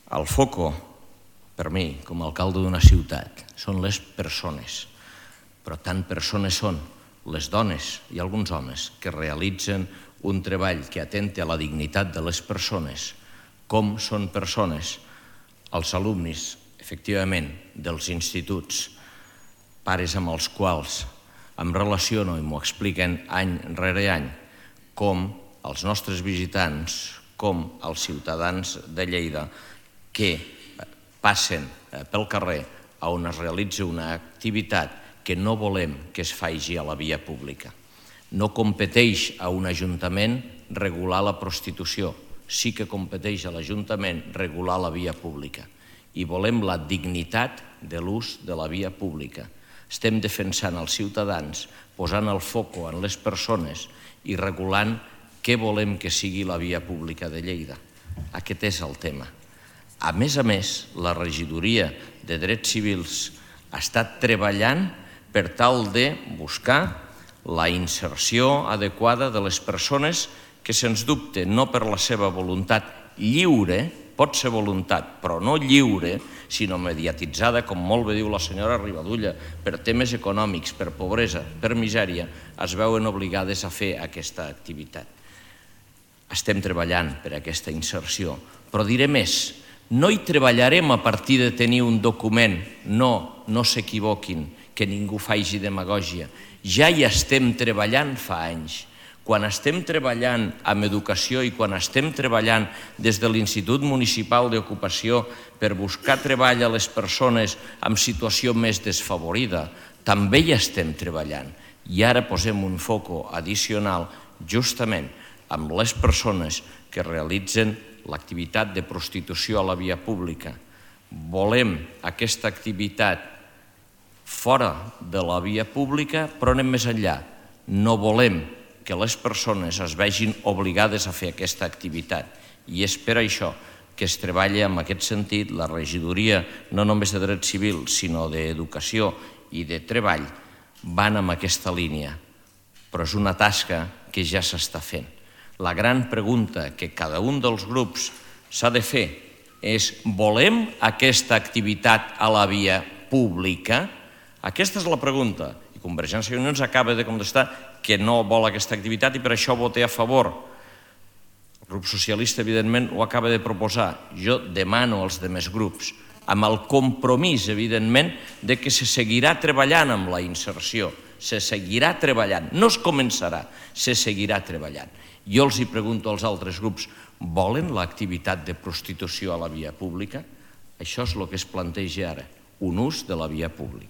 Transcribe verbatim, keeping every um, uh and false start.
El foco, per mi, com a alcalde d'una ciutat, són les persones, però tant persones són les dones i alguns homes que realitzen un treball que atenta a la dignitat de les persones, com són persones els alumnes, efectivament, dels instituts, pares amb els quals em relaciono i m'ho expliquen any rere any, com els nostres visitants, com els ciutadans de Lleida que passen pel carrer on es realitza una activitat que no volem que es faci a la via pública. No competeix a un ajuntament regular la prostitució, sí que competeix a l'Ajuntament regular la via pública i volem la dignitat de l'ús de la via pública. Estem defensant els ciutadans, posant el foco en les persones i regulant què volem que sigui la via pública de Lleida. Aquest és el tema. A més a més, la regidoria de Drets Civils ha estat treballant per tal de buscar la inserció adequada de les persones que, sens dubte, no per la seva voluntat lliure, pot ser voluntat, però no lliure, sinó mediatitzada, com molt bé diu la senyora Ribadulla, per temes econòmics, per pobresa, per misèria, es veuen obligades a fer aquesta activitat. Estem treballant per aquesta inserció, però diré més, no hi treballarem a partir de tenir un document, no, no s'equivoquin, que ningú faci demagògia. Ja hi estem treballant fa anys. Quan estem treballant amb educació i quan estem treballant des de l'Institut Municipal d'Ocupació per buscar treball a les persones en situació més desfavorida, també hi estem treballant. I ara posem un foco addicional justament amb les persones que realitzen l'activitat de prostitució a la via pública. Volem aquesta activitat fora de la via pública, però anem més enllà. No volem que les persones es vegin obligades a fer aquesta activitat. I és per això que es treballa en aquest sentit. La regidoria, no només de Drets Civils, sinó d'Educació i de Treball, van en aquesta línia. Però és una tasca que ja s'està fent. La gran pregunta que cada un dels grups s'ha de fer és: volem aquesta activitat a la via pública? Aquesta és la pregunta. I Convergència i Unió ens acaba de contestar que no vol aquesta activitat i per això vota a favor. El grup socialista, evidentment, ho acaba de proposar. Jo demano als altres grups, amb el compromís, evidentment, de que se seguirà treballant amb la inserció, se seguirà treballant, no es començarà, se seguirà treballant. Jo els hi pregunto als altres grups, volen l'activitat de prostitució a la via pública? Això és el que es planteja ara, un ús de la via pública.